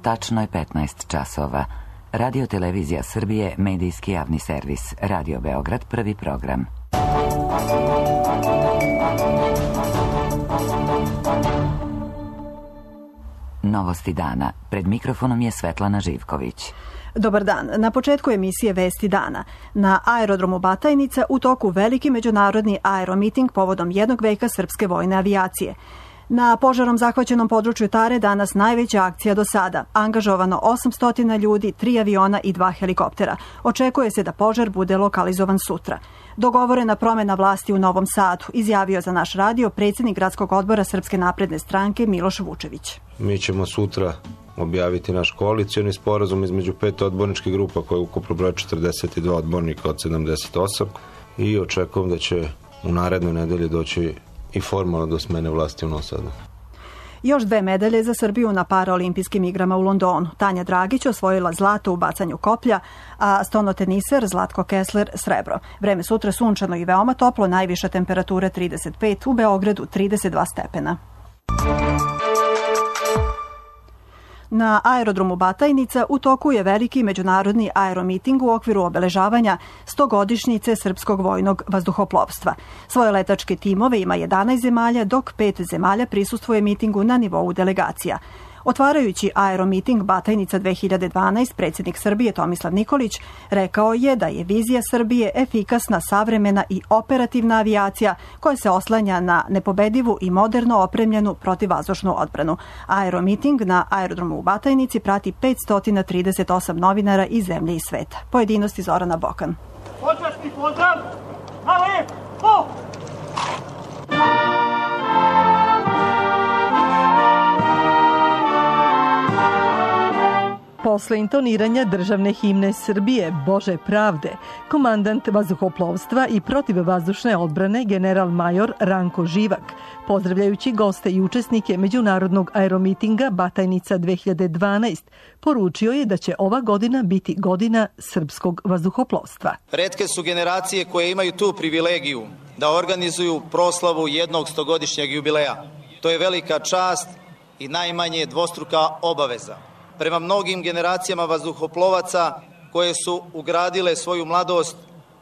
Tačno je 15 časova. Radio Televizija Srbije, medijski javni servis. Radio Beograd, prvi program. Novosti dana. Pred mikrofonom je Svetlana Živković. Dobar dan. Na početku emisije Vesti dana. Na aerodromu Batajnica u toku veliki međunarodni aeromiting povodom 1 veka srpske vojne avijacije. Na požarom zahvaćenom području Tare danas najveća akcija do sada. Angažovano 800 ljudi, 3 aviona i 2 helikoptera. Očekuje se da požar bude lokalizovan sutra. Dogovorena promjena vlasti u Novom Sadu, izjavio za naš radio predsjednik gradskog odbora Srpske napredne stranke Miloš Vučević. Mi ćemo sutra objaviti naš koalicioni sporazum između 5 odborničkih grupa koje ukupno broje 42 odbornika od 78 i očekujem da će u narednoj nedelji doći i formalno do smene vlasti u Novom Sadu. Još 2 medalje za Srbiju na paraolimpijskim igrama u Londonu. Tanja Dragić osvojila zlato u bacanju koplja, a stonoteniser Zlatko Kessler srebro. Vreme sutra sunčano i veoma toplo, najviša temperatura 35, u Beogradu 32 stepena. Na aerodromu Batajnica u toku je veliki međunarodni aeromiting u okviru obeležavanja 100-godišnjice srpskog vojnog vazduhoplovstva. Svoje letačke timove ima 11 zemalja, dok 5 zemalja prisustvuje mitingu na nivou delegacija. Otvarajući aeromiting Batajnica 2012, predsjednik Srbije Tomislav Nikolić rekao je da je vizija Srbije efikasna, savremena i operativna avijacija koja se oslanja na nepobedivu i moderno opremljenu protivvazdušnu odbranu. Aeromiting na aerodromu u Batajnici prati 538 novinara iz zemlje i sveta. Pojedinosti Zorana Bokan. Počasni pozdrav! Ale! Po! Posle intoniranja državne himne Srbije, Bože pravde, komandant vazduhoplovstva i protivvazdušne odbrane general major Ranko Živak, pozdravljajući goste i učesnike međunarodnog aeromitinga Batajnica 2012, poručio je da će ova godina biti godina srpskog vazduhoplovstva. Retke su generacije koje imaju tu privilegiju da organizuju proslavu jednog 100-godišnjeg jubileja. To je velika čast i najmanje dvostruka obaveza. Prema mnogim generacijama vazduhoplovaca koje su ugradile svoju mladost,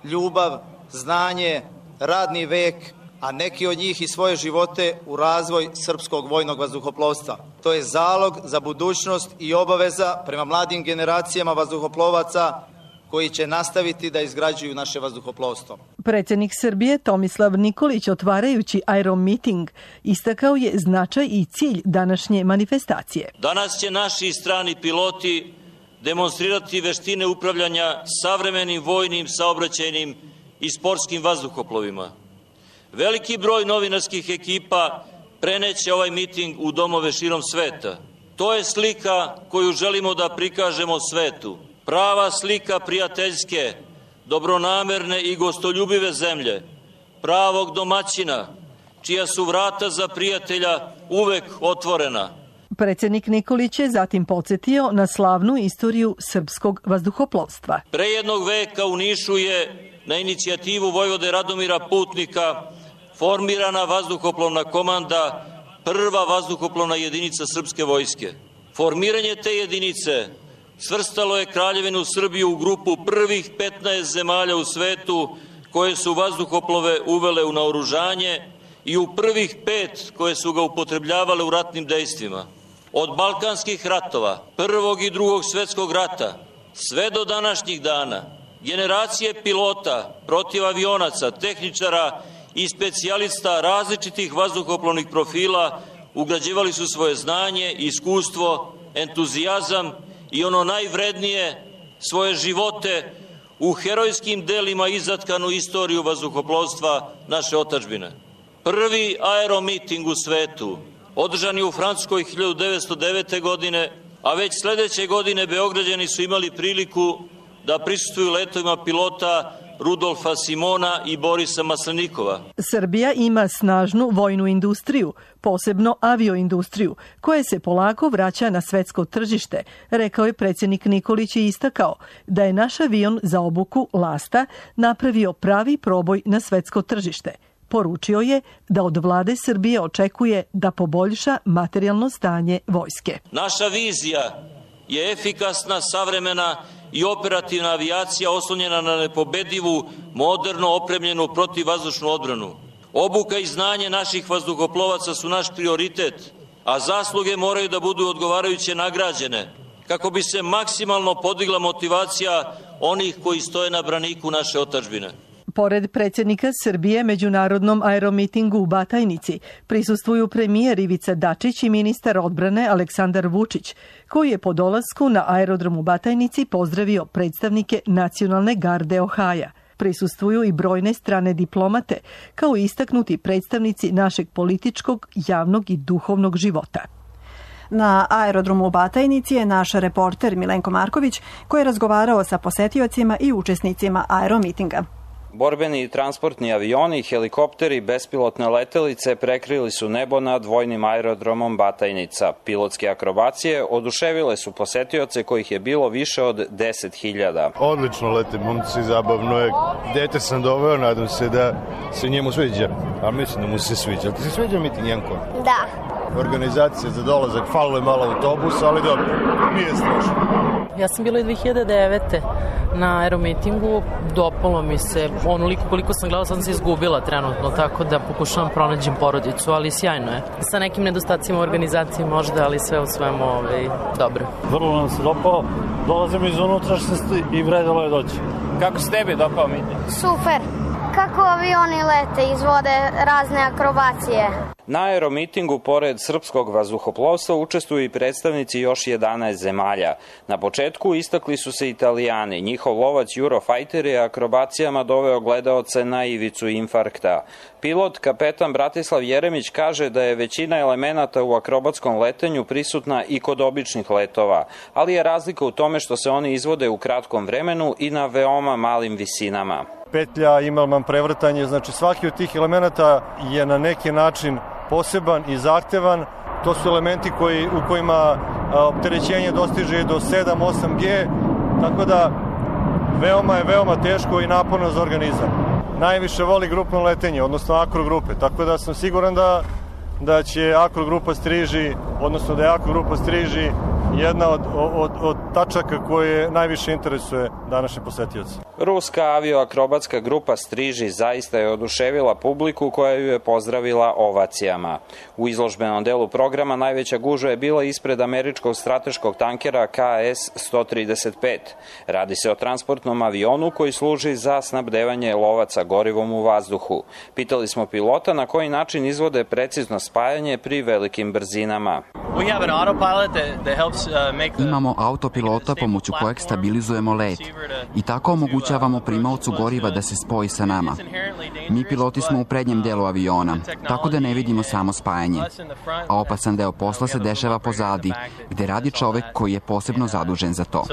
ljubav, znanje, radni vek, a neki od njih i svoje živote u razvoj srpskog vojnog vazduhoplovstva. To je zalog za budućnost i obaveza prema mladim generacijama vazduhoplovaca koji će nastaviti da izgrađuju naše vazduhoplovstvo. Predsjednik Srbije Tomislav Nikolić, otvarajući aeromiting, istakao je značaj i cilj današnje manifestacije. Danas će naši strani piloti demonstrirati veštine upravljanja savremenim vojnim, saobraćajnim i sportskim vazduhoplovima. Veliki broj novinarskih ekipa preneće ovaj miting u domove širom sveta. To je slika koju želimo da prikažemo svetu. Prava slika prijateljske, dobronamerne i gostoljubive zemlje, pravog domaćina, čija su vrata za prijatelja uvek otvorena. Predsjednik Nikolić je zatim podsjetio na slavnu istoriju srpskog vazduhoplovstva. Pre 1 veka u Nišu je na inicijativu vojvode Radomira Putnika formirana vazduhoplovna komanda, prva vazduhoplovna jedinica srpske vojske. Formiranje te jedinice svrstalo je Kraljevinu Srbiju u grupu prvih 15 zemalja u svetu koje su vazduhoplove uvele u naoružanje i u prvih 5 koje su ga upotrebljavale u ratnim dejstvima. Od balkanskih ratova, Prvog i Drugog svjetskog rata, sve do današnjih dana, generacije pilota, protivavionaca, tehničara i specijalista različitih vazduhoplovnih profila ugrađivali su svoje znanje, iskustvo, entuzijazam i ono najvrednije, svoje živote u herojskim delima izatkanu istoriju vazduhoplovstva naše otadžbine. Prvi aeromiting u svetu održan je u Francuskoj 1909. godine, a već sledeće godine Beograđani su imali priliku da prisustvuju letovima pilota Rudolfa Simona i Borisa Maslenikova. Srbija ima snažnu vojnu industriju, posebno avioindustriju, koja se polako vraća na svetsko tržište, rekao je predsjednik Nikolić i istakao da je naš avion za obuku Lasta napravio pravi proboj na svetsko tržište. Poručio je da od vlade Srbije očekuje da poboljša materijalno stanje vojske. Naša vizija je efikasna, savremena i operativna avijacija oslonjena na nepobedivu, moderno opremljenu protivvazdušnu odbranu. Obuka i znanje naših vazduhoplovaca su naš prioritet, a zasluge moraju da budu odgovarajuće nagrađene, kako bi se maksimalno podigla motivacija onih koji stoje na braniku naše otadžbine. Pored predsjednika Srbije međunarodnom aeromitingu u Batajnici prisustvuju premijer Ivica Dačić i ministar odbrane Aleksandar Vučić, koji je po dolasku na aerodrom u Batajnici pozdravio predstavnike Nacionalne garde Ohaja. Prisustvuju i brojne strane diplomate, kao i istaknuti predstavnici našeg političkog, javnog i duhovnog života. Na aerodromu u Batajnici je naš reporter Milenko Marković, koji je razgovarao sa posetiocima i učesnicima aeromitinga. Borbeni i transportni avioni, helikopteri, bespilotne letelice prekrili su nebo nad vojnim aerodromom Batajnica. Pilotske akrobacije oduševile su posetioce kojih je bilo više od 10.000. Odlično lete momci, zabavno je. Dete sam doveo, nadam se da se njemu sviđa. A mislim da mu se sviđa. Ti se sviđa miting, Janko? Da. Organizacija za dolazak, falilo je malo autobusa, ali dobro, nije strašno. Ja sam bila i 2009. na aeromitingu, dopalo mi se onoliko koliko sam gledala, sam se izgubila trenutno, tako da pokušavam pronađem porodicu, ali sjajno je. Sa nekim nedostacima u organizaciji možda, ali sve u svemu dobro. Vrlo nam se dopao, dolazimo iz unutrašnjosti i vredilo je doći. Kako se tebi dopao miting? Super. Kako avioni lete, izvode razne akrobacije. Na aeromitingu, pored srpskog vazduhoplovstva, učestvuju i predstavnici još 11 zemalja. Na početku istakli su se Italijani. Njihov lovac Eurofajter je akrobacijama doveo gledaoce na ivicu infarkta. Pilot, kapetan Bratislav Jeremić, kaže da je većina elemenata u akrobatskom letenju prisutna i kod običnih letova, ali je razlika u tome što se oni izvode u kratkom vremenu i na veoma malim visinama. Petlja, imalman, prevrtanje, znači svaki od tih elemenata je na neki način poseban i zahtevan. To su elementi u kojima opterećenje dostiže do 7-8 G, tako da veoma teško i naporno za organizam. Najviše voli grupno letenje, odnosno akrogrupe, tako da sam siguran da će akrogrupa Striži, odnosno da je akrogrupa Striži jedna od tačaka koje najviše interesuje današnje posetioce. Ruska avioakrobatska grupa Striži zaista je oduševila publiku koja ju je pozdravila ovacijama. U izložbenom delu programa najveća gužva je bila ispred američkog strateškog tankera KS-135. Radi se o transportnom avionu koji služi za snabdevanje lovaca gorivom u vazduhu. Pitali smo pilota na koji način izvode precizno spajanje pri velikim brzinama. Imamo autopilota pomoću kojeg stabilizujemo let i tako omogućavamo primaocu goriva da se spoji sa nama. Mi piloti smo u prednjem delu aviona, tako da ne vidimo samo spajanje. A opasan deo posla se dešava pozadi, gde radi čovek koji je posebno zadužen za to.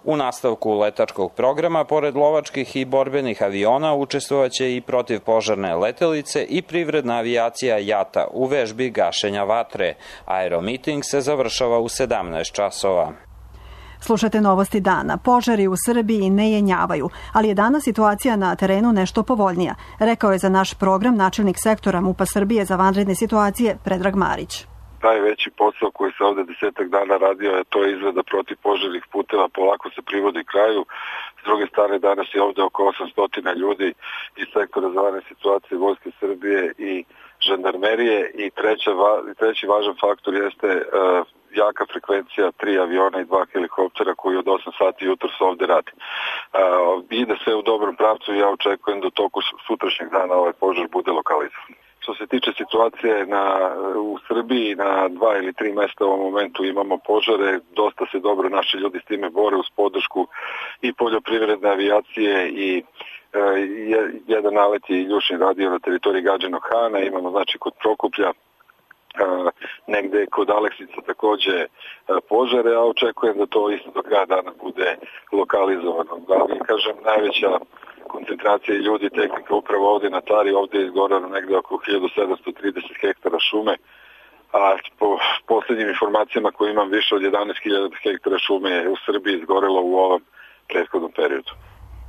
U nastavku letačkog programa, pored lovačkih i borbenih aviona, učestvovaće i protivpožarne letelice i privredna avijacija JATA u vežbi gašenja vatre. Aeromiting se završava u 17 časova. Slušate novosti dana. Požari u Srbiji ne jenjavaju, ali je danas situacija na terenu nešto povoljnija, rekao je za naš program načelnik sektora MUP-a Srbije za vanredne situacije Predrag Marić. Najveći posao koji se ovde 10 dana radio je to izrada protivpožarnih puteva, polako se privodi kraju. S druge strane, danas je ovde oko 800 ljudi iz sektora za vanredne situacije Vojske Srbije i žandarmerije i treći važan faktor jeste jaka frekvencija 3 aviona i 2 helikoptera koji od 8 sati jutros ovde radi. Ide sve u dobrom pravcu i ja očekujem da u toku sutrašnjeg dana ovaj požar bude lokalizovan. Što se tiče situacije u Srbiji, na 2 ili 3 mesta u ovom momentu imamo požare, dosta se dobro naši ljudi s time bore uz podršku i poljoprivredne avijacije i jedan nalet je Iljušin radio na teritoriji Gadžinog Hana, imamo znači kod Prokuplja, negde kod Aleksica takođe požare, a očekujem da to isto do kraja dana bude lokalizovano. Ali, kažem, najveća koncentracija ljudi i tehnika upravo ovde na Tari, ovde je izgorano negde oko 1730 hektara šume, a po poslednjim informacijama koje imam više od 11.000 hektara šume je u Srbiji izgorelo u ovom prethodnom periodu.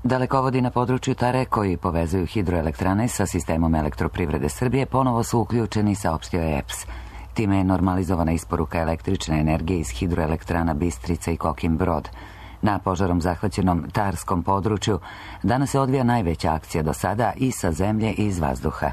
Dalekovodi na području Tare koji povezuju hidroelektrane sa sistemom elektroprivrede Srbije ponovo su uključeni, saopštio je EPS. Time je normalizovana isporuka električne energije iz hidroelektrana Bistrica i Kokin Brod. Na požarom zahvaćenom Tarskom području danas se odvija najveća akcija do sada i sa zemlje i iz vazduha.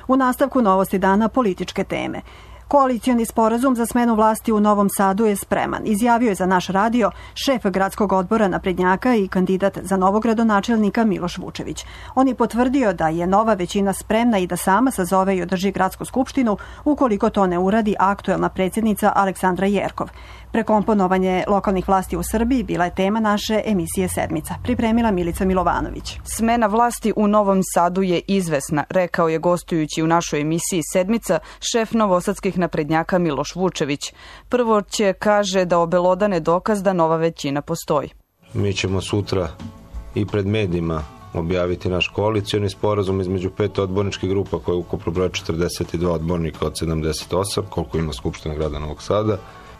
U nastavku novosti dana političke teme. Koalicioni sporazum za smenu vlasti u Novom Sadu je spreman, izjavio je za naš radio šef gradskog odbora naprednjaka i kandidat za novog gradonačelnika Miloš Vučević. On je potvrdio da je nova većina spremna i da sama sazove i održi gradsku skupštinu ukoliko to ne uradi aktuelna predsjednica Aleksandra Jerkov. Prekomponovanje lokalnih vlasti u Srbiji bila je tema naše emisije Sedmica. Pripremila Milica Milovanović. Smena vlasti u Novom Sadu je izvesna, rekao je gostujući u našoj emisiji Sedmica šef novosadskih naprednjaka Miloš Vučević. Prvo će, kaže, da obelodane dokaz da nova većina postoji. Mi ćemo sutra i pred medijima objaviti naš koalicioni sporazum između 5 odborničkih grupa koje ukupno broje 42 odbornika od 78, koliko ima Skupština grada Novog Sada,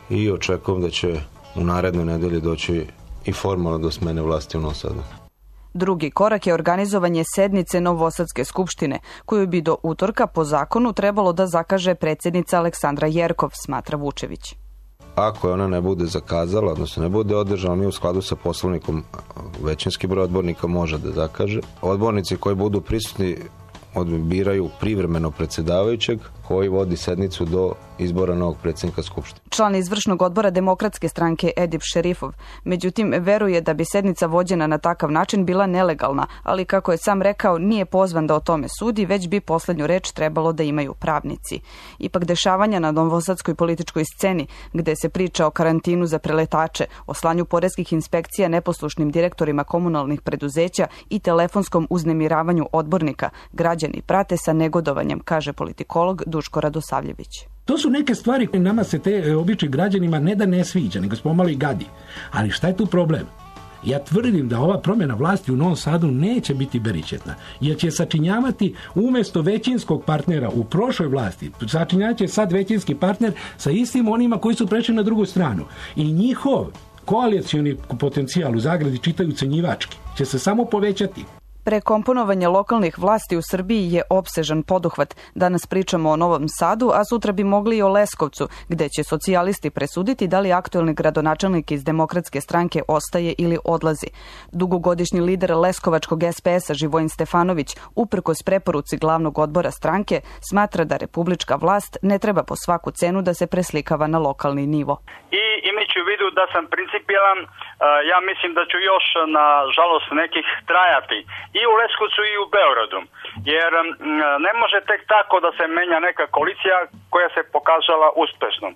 i očekujem da će u narednoj nedelji doći i formalno do smene vlasti u Novom Sadu. Drugi korak je organizovanje sednice Novosadske skupštine, koju bi do utorka po zakonu trebalo da zakaže predsjednica Aleksandra Jerkov, smatra Vučević. Ako je ona ne bude zakazala, odnosno ne bude održala, mi u skladu sa poslovnikom većinski broj odbornika može da zakaže. Odbornici koji budu prisutni biraju privremeno predsjedavajućeg koji vodi sednicu do izbora novog predsjednika Skupštine. Član izvršnog odbora Demokratske stranke Edip Šerifov, međutim, veruje da bi sednica vođena na takav način bila nelegalna, ali kako je sam rekao, nije pozvan da o tome sudi, već bi poslednju reč trebalo da imaju pravnici. Ipak dešavanja na novosadskoj političkoj sceni, gde se priča o karantinu za preletače, o slanju poreskih inspekcija neposlušnim direktorima komunalnih preduzeća i telefonskom uznemiravanju odbornika, građani prate sa negodovanjem, kaže politikolog Duško Radosavljević. To su neke stvari koje nama se te običnim građanima ne da ne sviđa, nego smo malo i gadi. Ali šta je tu problem? Ja tvrdim da ova promjena vlasti u Novom Sadu neće biti beričetna, jer će sačinjavati umjesto većinskog partnera u prošloj vlasti, sačinjavati će sad većinski partner sa istim onima koji su prešli na drugu stranu. I njihov koalicioni potencijal u zagradi čitaju ucenjivački će se samo povećati. Prekomponovanje lokalnih vlasti u Srbiji je opsežan poduhvat. Danas pričamo o Novom Sadu, a sutra bi mogli i o Leskovcu, gde će socijalisti presuditi da li aktuelni gradonačelnik iz Demokratske stranke ostaje ili odlazi. Dugogodišnji lider Leskovačkog SPS-a Živojin Stefanović, uprkos preporuci glavnog odbora stranke, smatra da republička vlast ne treba po svaku cenu da se preslikava na lokalni nivo. I imajući u vidu da sam principijelan, ja mislim da ću još, na žalost, nekih trajati i u Leskovcu i u Beogradu, jer ne može tek tako da se menja neka koalicija koja se pokazala uspešnom.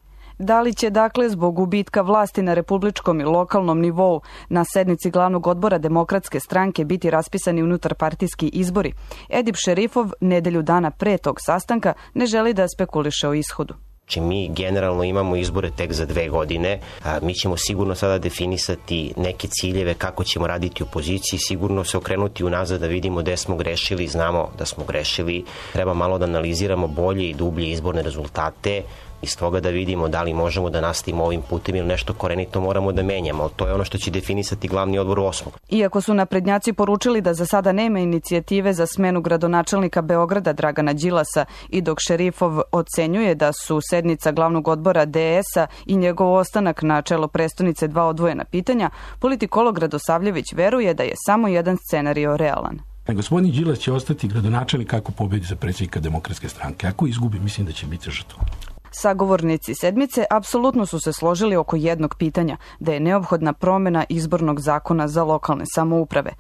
Da li će, dakle, zbog gubitka vlasti na republičkom i lokalnom nivou na sednici glavnog odbora Demokratske stranke biti raspisani unutarpartijski izbori? Edip Šerifov nedelju dana pre tog sastanka ne želi da spekuliše o ishodu. Znači, mi generalno imamo izbore tek za 2 godine, mi ćemo sigurno sada definisati neke ciljeve kako ćemo raditi u opoziciji, sigurno se okrenuti unazad da vidimo gde smo grešili, znamo da smo grešili, treba malo da analiziramo bolje i dublje izborne rezultate, iz toga da vidimo da li možemo da nastavimo ovim putem ili nešto korenito moramo da menjamo, ali to je ono što će definisati glavni odbor 8. Iako su naprednjaci poručili da za sada nema inicijative za smenu gradonačelnika Beograda Dragana Đilasa i dok Šerifov ocenjuje da su sednica glavnog odbora DS-a i njegov ostanak na čelo prestonice 2 odvojena pitanja, politikolog Radosavljević veruje da je samo jedan scenario realan. Gospodin Đilas će ostati gradonačelnik ako pobedi za predsjednika Demokratske stranke. Ako izgubi, mislim da će biti žrtva. Sagovornici sedmice apsolutno su se složili oko jednog pitanja, da je neophodna promjena izbornog zakona za lokalne samouprave.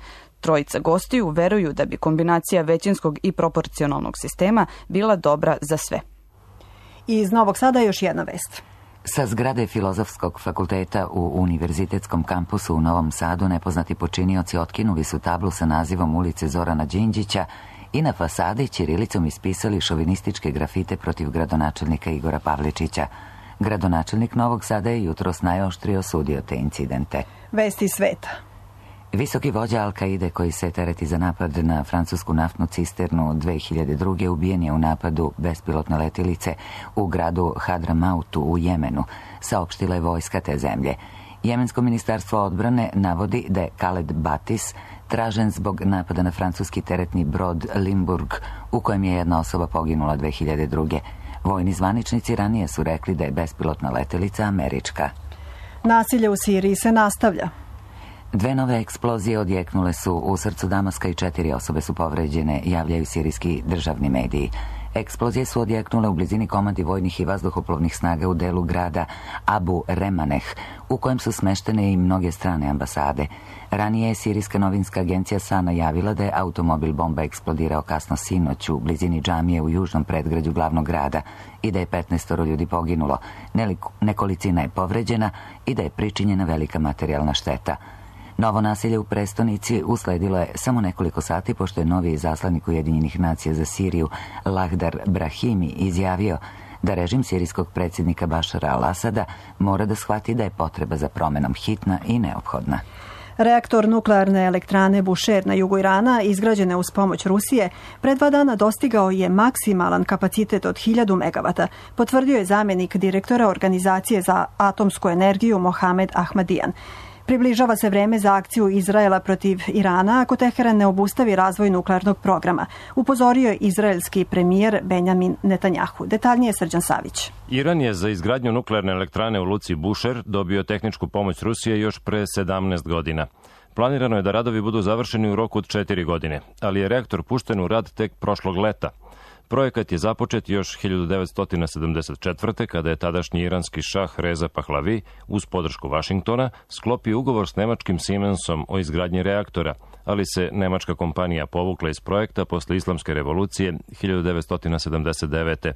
Trojica gostiju veruju da bi kombinacija većinskog i proporcionalnog sistema bila dobra za sve. Iz Novog Sada još jedna vest. Sa zgrade Filozofskog fakulteta u Univerzitetskom kampusu u Novom Sadu nepoznati počinioci otkinuli su tablu sa nazivom ulice Zorana Đinđića i na fasadi ćirilicom ispisali šovinističke grafite protiv gradonačelnika Igora Pavličića. Gradonačelnik Novog Sada je jutros najoštrije osudio te incidente. Vesti sveta. Visoki vođa Al-Kaide koji se tereti za napad na francusku naftnu cisternu 2002. ubijen je u napadu bespilotne letilice u gradu Hadramautu u Jemenu, saopštila je vojska te zemlje. Jemensko ministarstvo odbrane navodi da je Khaled Batis tražen zbog napada na francuski teretni brod Limburg, u kojem je jedna osoba poginula 2002. Vojni zvaničnici ranije su rekli da je bespilotna letelica američka. Nasilje u Siriji se nastavlja. 2 nove eksplozije odjeknule su u srcu Damaska i 4 osobe su povređene, javljaju sirijski državni mediji. Eksplozije su odjeknule u blizini komandi vojnih i vazduhoplovnih snaga u delu grada Abu Remaneh, u kojem su smeštene i mnoge strane ambasade. Ranije je sirijska novinska agencija SANA javila da je automobil bomba eksplodirao kasno sinoć u blizini džamije u južnom predgrađu glavnog grada i da je 15 ljudi poginulo, nekolicina je povređena i da je pričinjena velika materijalna šteta. Novo nasilje u prestonici usledilo je samo nekoliko sati pošto je novi izaslanik Ujedinjenih nacija za Siriju Lahdar Brahimi izjavio da režim sirijskog predsjednika Bašara al-Asada mora da shvati da je potreba za promenom hitna i neophodna. Reaktor nuklearne elektrane Bushehr na jugu Irana, izgrađene uz pomoć Rusije, pre 2 dana dostigao je maksimalan kapacitet od 1000 megavata, potvrdio je zamjenik direktora Organizacije za atomsku energiju Mohamed Ahmadijan. Približava se vreme za akciju Izraela protiv Irana ako Teheran ne obustavi razvoj nuklearnog programa, upozorio je izraelski premijer Benjamin Netanjahu. Detaljnije Srđan Savić. Iran je za izgradnju nuklearne elektrane u luci Bushehr dobio tehničku pomoć Rusije još pre 17 godina. Planirano je da radovi budu završeni u roku od 4 godine, ali je reaktor pušten u rad tek prošlog leta. Projekat je započet još 1974. kada je tadašnji iranski šah Reza Pahlavi uz podršku Vašingtona sklopio ugovor s nemačkim Siemensom o izgradnji reaktora, ali se nemačka kompanija povukla iz projekta posle islamske revolucije 1979.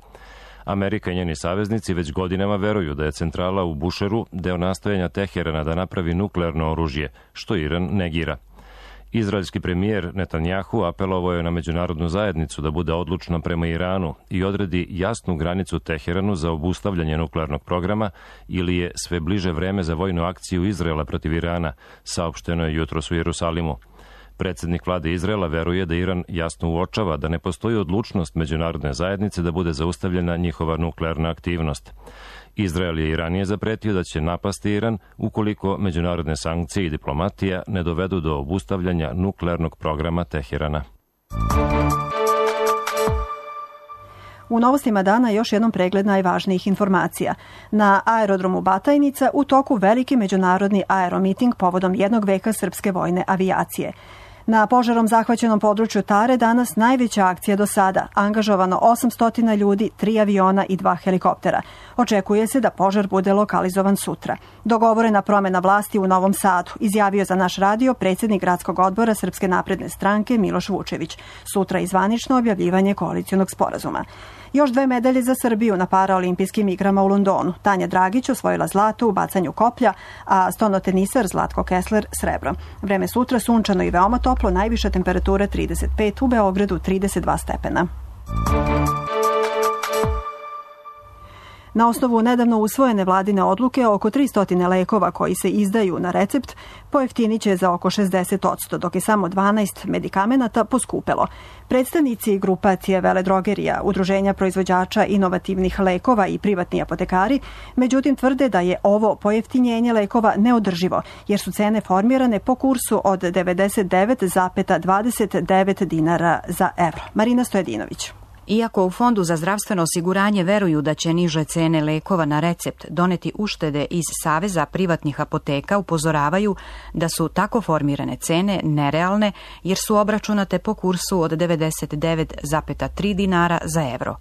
Amerika i njeni saveznici već godinama veruju da je centrala u Busheru deo nastojanja Teherana da napravi nuklearno oružje, što Iran negira. Izraelski premijer Netanjahu apelovao je na međunarodnu zajednicu da bude odlučna prema Iranu i odredi jasnu granicu Teheranu za obustavljanje nuklearnog programa ili je sve bliže vreme za vojnu akciju Izraela protiv Irana, saopšteno je jutros u Jerusalimu. Predsjednik vlade Izraela veruje da Iran jasno uočava da ne postoji odlučnost međunarodne zajednice da bude zaustavljena njihova nuklearna aktivnost. Izrael je i ranije zapretio da će napasti Iran ukoliko međunarodne sankcije i diplomatija ne dovedu do obustavljanja nuklearnog programa Teherana. U novostima dana još jednom pregled najvažnijih informacija. Na aerodromu Batajnica u toku veliki međunarodni aeromiting povodom 1 veka srpske vojne avijacije. Na požarom zahvaćenom području Tare danas najveća akcija do sada. Angažovano 800 ljudi, 3 aviona i 2 helikoptera. Očekuje se da požar bude lokalizovan sutra. Dogovorena promena vlasti u Novom Sadu, izjavio za naš radio predsjednik gradskog odbora Srpske napredne stranke Miloš Vučević. Sutra i zvanično objavljivanje koalicionog sporazuma. Još 2 medalje za Srbiju na paraolimpijskim igrama u Londonu. Tanja Dragić osvojila zlato u bacanju koplja, a stonoteniser Zlatko Kessler srebro. Vreme sutra sunčano i veoma toplo, najviša temperatura 35, u Beogradu 32 stepena. Na osnovu nedavno usvojene vladine odluke, oko 300 lekova koji se izdaju na recept pojeftinit će za oko 60%, dok je samo 12 medikamenata poskupelo. Predstavnici grupacije veledrogerija, udruženja proizvođača inovativnih lekova i privatni apotekari, međutim tvrde da je ovo pojeftinjenje lekova neodrživo, jer su cene formirane po kursu od 99,29 dinara za evro. Marina Stojedinović. Iako u Fondu za zdravstveno osiguranje veruju da će niže cene lekova na recept doneti uštede, iz Saveza privatnih apoteka upozoravaju da su tako formirane cene nerealne jer su obračunate po kursu od 99,3 dinara za evro.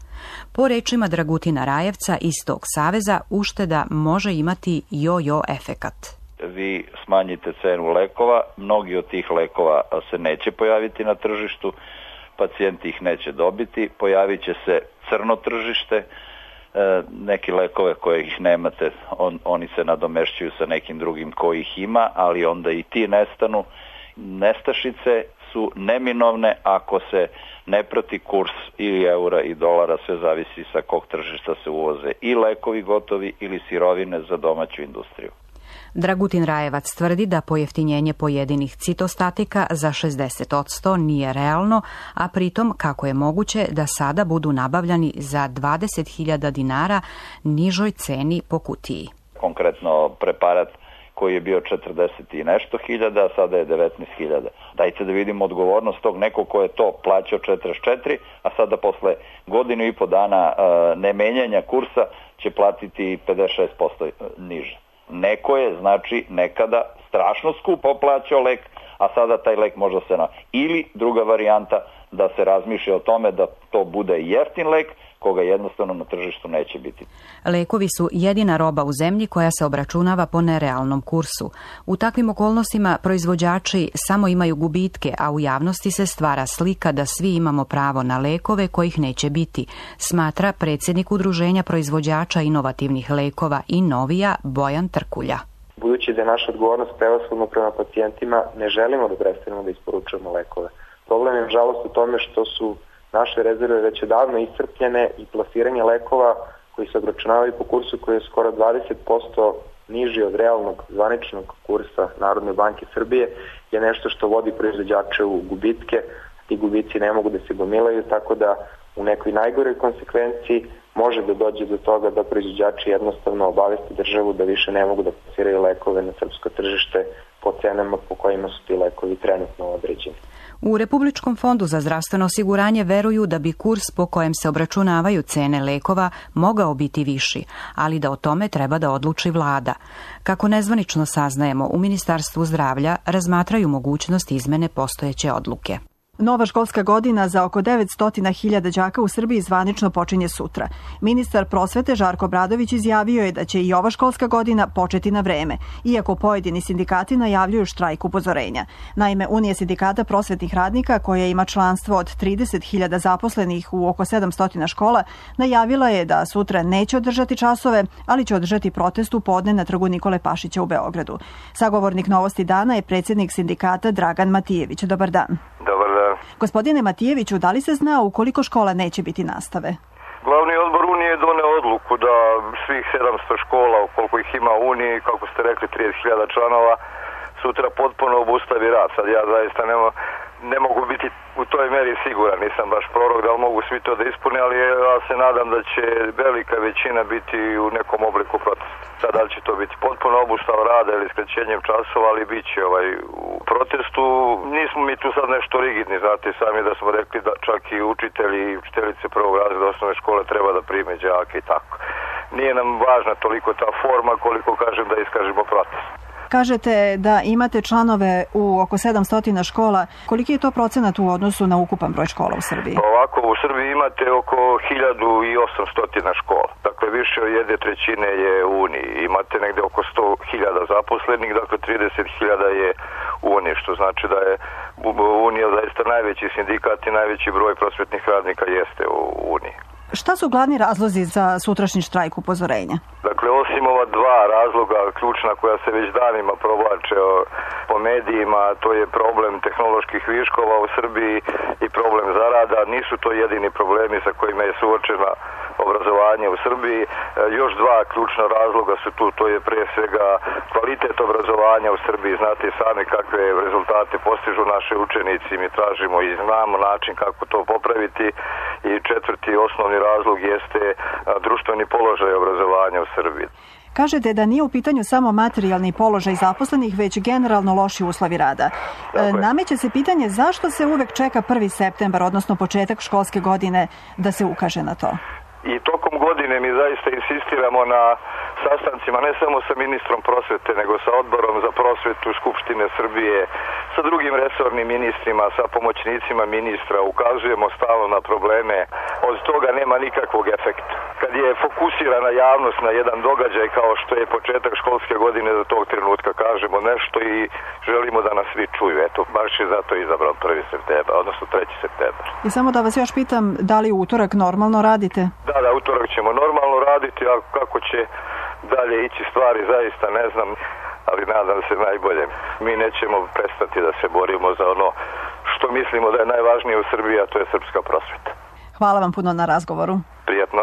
Po rečima Dragutina Rajevca iz tog saveza, ušteda može imati jo-jo efekat. Vi smanjite cenu lekova, mnogi od tih lekova se neće pojaviti na tržištu, pacijenti ih neće dobiti, pojavit će se crno tržište, neki lekove koje ih nemate, oni se nadomešćuju sa nekim drugim koji ih ima, ali onda i ti nestanu. Nestašice su neminovne ako se ne prati kurs ili eura i dolara, sve zavisi sa kog tržišta se uvoze i lekovi gotovi ili sirovine za domaću industriju. Dragutin Rajevac tvrdi da pojeftinjenje pojedinih citostatika za 60% nije realno, a pritom kako je moguće da sada budu nabavljani za 20.000 dinara nižoj ceni po kutiji. Konkretno preparat koji je bio 40 i nešto hiljada, a sada je 19.000. Dajte da vidimo odgovornost tog nekog ko je to plaćao 44, a sada posle godinu i po dana nemenjanja kursa će platiti 56% niže. Neko je, znači, nekada strašno skupo plaćao lek, a sada taj lek možda se Ili druga varijanta, da se razmišlja o tome da to bude jeftin lek, koga jednostavno na tržištu neće biti. Lekovi su jedina roba u zemlji koja se obračunava po nerealnom kursu. U takvim okolnostima proizvođači samo imaju gubitke, a u javnosti se stvara slika da svi imamo pravo na lekove kojih neće biti, smatra predsjednik Udruženja proizvođača inovativnih lekova Innovija Bojan Trkulja. Budući da je naša odgovornost prevashodno prema pacijentima, ne želimo da prestanemo da isporučujemo lekove. Problem je, nažalost, u tome što su naše rezerve već odavno iscrpljene i plasiranje lekova koji se obračunavaju po kursu koji je skoro 20% niži od realnog zvaničnog kursa Narodne banke Srbije je nešto što vodi proizvođače u gubitke. Ti gubici ne mogu da se gomilaju, tako da u nekoj najgoroj konsekvenciji može da dođe do toga da proizvođači jednostavno obaveste državu da više ne mogu da plasiraju lekove na srpsko tržište po cenama po kojima su ti lekovi trenutno određeni. U Republičkom fondu za zdravstveno osiguranje veruju da bi kurs po kojem se obračunavaju cene lekova mogao biti viši, ali da o tome treba da odluči vlada. Kako nezvanično saznajemo, u Ministarstvu zdravlja razmatraju mogućnost izmene postojeće odluke. Nova školska godina za oko 900.000 đaka u Srbiji zvanično počinje sutra. Ministar prosvete Žarko Obradović izjavio je da će i ova školska godina početi na vreme, iako pojedini sindikati najavljuju štrajk upozorenja. Naime, Unija sindikata prosvetnih radnika, koja ima članstvo od 30.000 zaposlenih u oko 700 škola, najavila je da sutra neće održati časove, ali će održati protest u podne na trgu Nikole Pašića u Beogradu. Sagovornik Novosti dana je predsjednik sindikata Dragan Matijević. Dobar dan. Dobar dan. Gospodine Matijeviću, da li se zna u koliko škola neće biti nastave? Glavni odbor Unije je doneo odluku da svih 700 škola, koliko ih ima u Uniji, kako ste rekli, 30.000 članova, sutra potpuno obustavi rad. Sad ja zaista ne mogu biti u toj meri siguran, nisam baš prorok da li mogu svi to da ispune, ali ja se nadam da će velika većina biti u nekom obliku protesta. Sad da li će to biti potpuno obustav rada ili skraćenjem časova, ali bit će u protestu. Nismo mi tu sad nešto rigidni, znate sami da smo rekli da čak i učitelji i učiteljice prvog razreda osnovne škole treba da prime đake i tako. Nije nam važna toliko ta forma koliko kažem da iskažemo protest. Kažete da imate članove u oko 700 škola. Koliki je to procenat u odnosu na ukupan broj škola u Srbiji? Ovako, u Srbiji imate oko 1800 škola. Dakle, više od 1/3 je u Uniji. Imate negde oko 100.000 zaposlenih, dakle 30.000 je u Uniji, što znači da je Unija zaista najveći sindikat i najveći broj prosvetnih radnika jeste u Uniji. Šta su glavni razlozi za sutrašnji štrajk upozorenja? Dakle, osim ova dva razloga ključna koja se već danima provlače po medijima, to je problem tehnoloških viškova u Srbiji i problem zarada. Nisu to jedini problemi sa kojima je suočena obrazovanje u Srbiji. Još dva ključna razloga su tu, to je pre svega kvalitet obrazovanja u Srbiji. Znate sami kakve rezultate postižu naše učenici, mi tražimo i znamo način kako to popraviti. I četvrti osnovni razlog jeste društveni položaj obrazovanja u Srbiji. Kažete da nije u pitanju samo materijalni položaj zaposlenih, već generalno loši uslovi rada. Nameće se pitanje zašto se uvek čeka 1. septembar, odnosno početak školske godine, da se ukaže na to? I tokom godine mi zaista insistiramo na sastancima ne samo sa ministrom prosvete, nego sa odborom za prosvetu Skupštine Srbije, sa drugim resornim ministrima, sa pomoćnicima ministra, ukazujemo stalno na probleme. Od toga nema nikakvog efekta. Kad je fokusirana javnost na jedan događaj kao što je početak školske godine, do tog trenutka kažemo nešto i želimo da nas svi čuju. Eto, baš je zato izabran 1. septembar, odnosno 3. septembar. I samo da vas još pitam, da li u utorak normalno radite? Da, utorak ćemo normalno raditi, a kako će dalje ići stvari, zaista ne znam, ali nadam se najbolje. Mi nećemo prestati da se borimo za ono što mislimo da je najvažnije u Srbiji, a to je srpska prosveta. Hvala vam puno na razgovoru. Prijatno.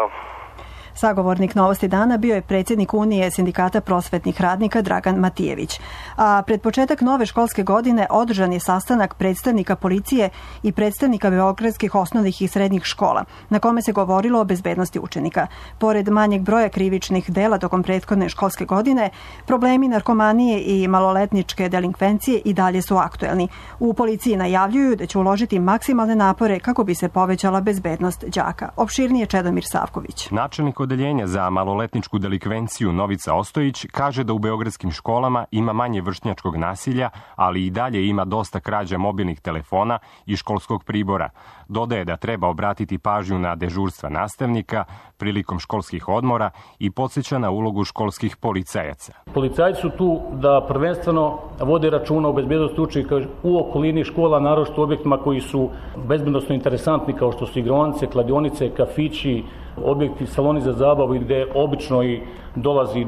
Sagovornik Novosti dana bio je predsjednik Unije sindikata prosvetnih radnika Dragan Matijević. A pred početak nove školske godine održan je sastanak predstavnika policije i predstavnika beogradskih osnovnih i srednjih škola, na kome se govorilo o bezbednosti učenika. Pored manjeg broja krivičnih dela tokom prethodne školske godine, problemi narkomanije i maloletničke delinkvencije i dalje su aktuelni. U policiji najavljuju da će uložiti maksimalne napore kako bi se povećala bezbednost đaka. Opširnije Čedomir Savković. Načelnik odeljenja za maloletničku delikvenciju Novica Ostojić kaže da u beogradskim školama ima manje vršnjačkog nasilja, ali i dalje ima dosta krađa mobilnih telefona i školskog pribora. Dodaje da treba obratiti pažnju na dežurstva nastavnika prilikom školskih odmora i podsjeća na ulogu školskih policajaca. Policajci su tu da prvenstveno vode računa o bezbednosti učenika u okolini škola, naročito u objektima koji su bezbednosno interesantni, kao što su igraonice, kladionice, kafići, objekti, saloni za zabavu, gde obično i dolazi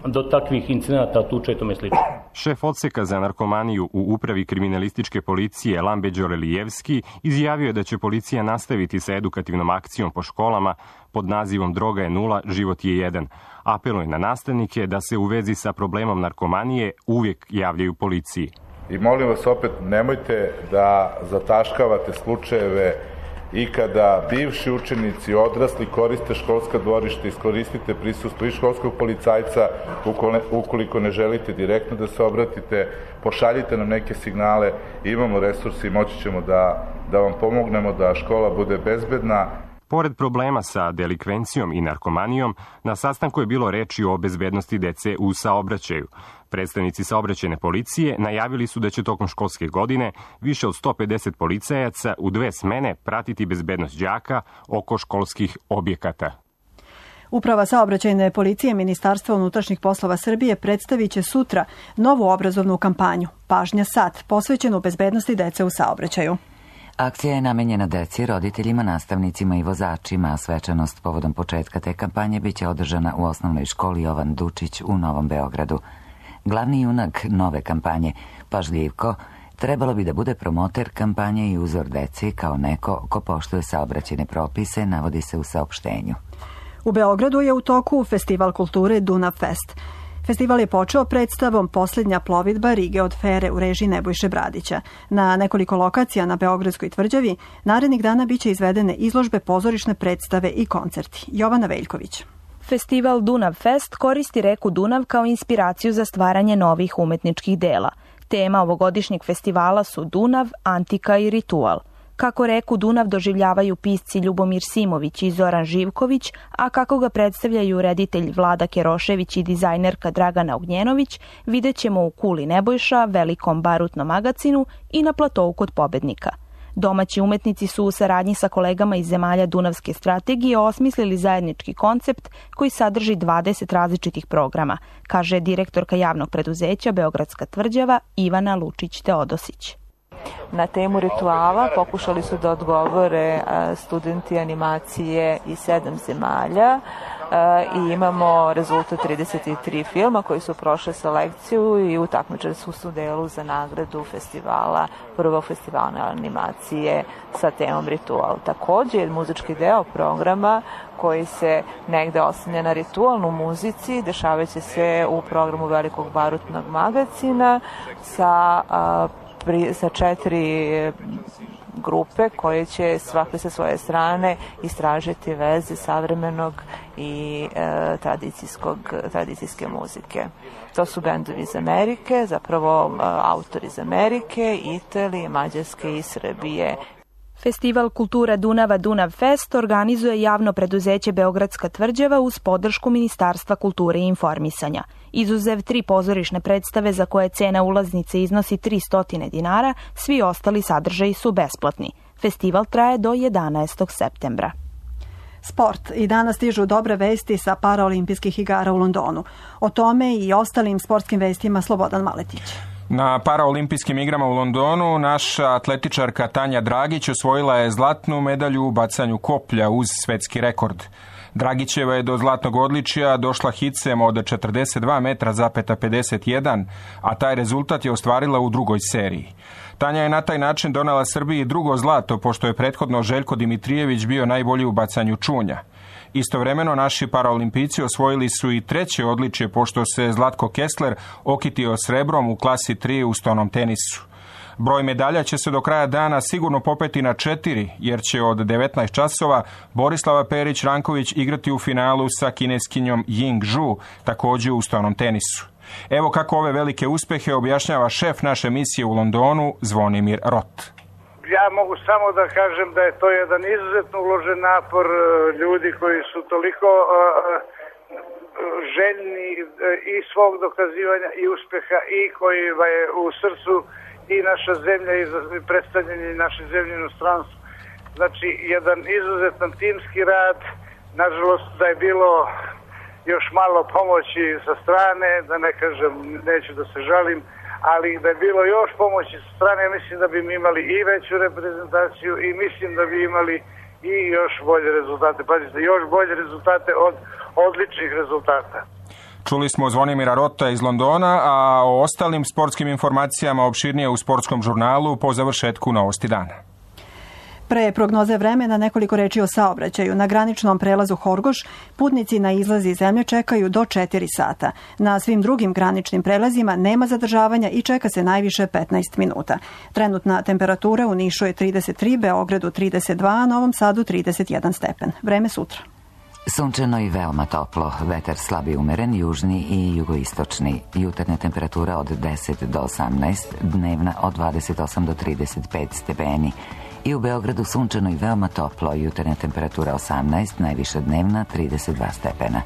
do takvih incidenata, tuča i tome slično. Šef odseka za narkomaniju u upravi kriminalističke policije Lambe Đorelijevski izjavio je da će policija nastaviti sa edukativnom akcijom po školama pod nazivom Droga je 0, život je 1. Apeluje na nastavnike da se u vezi sa problemom narkomanije uvijek javljaju policiji. I molim vas opet, nemojte da zataškavate slučajeve i kada bivši učenici, odrasli koriste školska dvorišta, iskoristite prisustvo i školskog policajca, ukoliko ne želite direktno da se obratite, pošaljite nam neke signale, imamo resursi i moći ćemo da vam pomognemo da škola bude bezbedna. Pored problema sa delikvencijom i narkomanijom, na sastanku je bilo reči o bezbednosti dece u saobraćaju. Predstavnici saobraćajne policije najavili su da će tokom školske godine više od 150 policajaca u 2 smene pratiti bezbednost đaka oko školskih objekata. Uprava saobraćajne policije Ministarstva unutrašnjih poslova Srbije predstavit će sutra novu obrazovnu kampanju Pažnja sad, posvećenu bezbednosti dece u saobraćaju. Akcija je namenjena deci, roditeljima, nastavnicima i vozačima, a svečanost povodom početka te kampanje biće održana u osnovnoj školi Jovan Dučić u Novom Beogradu. Glavni junak nove kampanje, Pažljivko, trebalo bi da bude promoter kampanje i uzor deci kao neko ko poštuje saobraćajne propise, navodi se u saopštenju. U Beogradu je u toku Festival kulture Dunav Fest. Festival je počeo predstavom Posljednja plovidba Rige od Fere u režiji Nebojše Bradića. Na nekoliko lokacija na Beogradskoj tvrđavi narednih dana biće izvedene izložbe, pozorišne predstave i koncerti. Jovana Veljković. Festival Dunav Fest koristi reku Dunav kao inspiraciju za stvaranje novih umetničkih dela. Tema ovogodišnjeg festivala su Dunav, antika i ritual. Kako reku Dunav doživljavaju pisci Ljubomir Simović i Zoran Živković, a kako ga predstavljaju reditelj Vlada Kerošević i dizajnerka Dragana Ognjenović, vidjet ćemo u Kuli Nebojša, Velikom barutnom magacinu i na platovu kod Pobednika. Domaći umetnici su u saradnji sa kolegama iz zemalja Dunavske strategije osmislili zajednički koncept koji sadrži 20 različitih programa, kaže direktorka javnog preduzeća Beogradska tvrđava Ivana Lučić-Teodosić. Na temu rituala pokušali su da odgovore studenti animacije iz 7 zemalja i imamo rezultat 33 filma koji su prošle selekciju i utakmičili su u delu za nagradu festivala, prvog festivala animacije sa temom ritual. Također, muzički deo programa koji se negde oslanja na ritualnu muzici, dešavajući se u programu Velikog barutnog magacina sa 4 grupe koje će svake sa svoje strane istražiti veze savremenog i tradicijske muzike. To su bendovi iz Amerike, zapravo autori iz Amerike, Italije, Mađarske i Srbije. Festival kultura Dunava Dunav Fest organizuje javno preduzeće Beogradska tvrđava uz podršku Ministarstva kulture i informisanja. Izuzev 3 pozorišne predstave za koje cena ulaznice iznosi 300 dinara, svi ostali sadržaji su besplatni. Festival traje do 11. septembra. Sport. I danas stižu dobre vesti sa paraolimpijskih igara u Londonu. O tome i ostalim sportskim vestima Slobodan Maletić. Na paraolimpijskim igrama u Londonu naša atletičarka Tanja Dragić osvojila je zlatnu medalju u bacanju koplja uz svetski rekord. Dragićeva je do zlatnog odličja došla hicem od 42 metra zapeta 51, a taj rezultat je ostvarila u drugoj seriji. Tanja je na taj način donela Srbiji drugo zlato, pošto je prethodno Željko Dimitrijević bio najbolji u bacanju čunja. Istovremeno naši paraolimpijci osvojili su i treće odličje, pošto se Zlatko Kessler okitio srebrom u klasi 3 u stonom tenisu. Broj medalja će se do kraja dana sigurno popeti na 4, jer će od 19 časova Borislava Perić-Ranković igrati u finalu sa kineskinjom Ying Zhu, također u stonom tenisu. Evo kako ove velike uspehe objašnjava šef naše misije u Londonu, Zvonimir Rot. Ja mogu samo da kažem da je to jedan izuzetno uložen napor ljudi koji su toliko željni i svog dokazivanja i uspeha i koji je u srcu i naša zemlja i predstavljanje naše zemlje u inostranstvu. Znači, jedan izuzetan timski rad, nažalost da je bilo još malo pomoći sa strane, da ne kažem, neću da se žalim, ali da je bilo još pomoći sa strane, mislim da bi mi imali i veću reprezentaciju i mislim da bi imali i još bolje rezultate. Pazite, još bolje rezultate od odličnih rezultata. Čuli smo Zvonimira Rota iz Londona, a o ostalim sportskim informacijama opširnije u sportskom žurnalu po završetku Novosti dana. Pre prognoze vremena nekoliko reči o saobraćaju. Na graničnom prelazu Horgoš putnici na izlazi iz zemlje čekaju do 4 sata. Na svim drugim graničnim prelazima nema zadržavanja i čeka se najviše 15 minuta. Trenutna temperatura u Nišu je 33, Beogradu 32, a Novom Sadu 31 stepen. Vreme sutra. Sunčano i veoma toplo, vetar slab i umeren, južni i jugoistočni. Jutarnja temperatura od 10 do 18, dnevna od 28 do 35 stepeni. I u Beogradu sunčano i veoma toplo, jutarnja temperatura 18, najviša dnevna 32 stepena.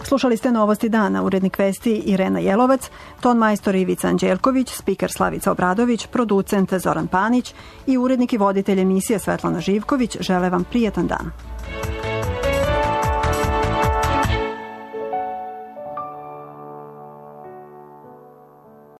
Slušali ste Novosti dana, urednik vesti Irena Jelovac, ton majstor Ivica Anđelković, spiker Slavica Obradović, producent Zoran Panić i urednik i voditelj emisije Svetlana Živković. Žele vam prijetan dan.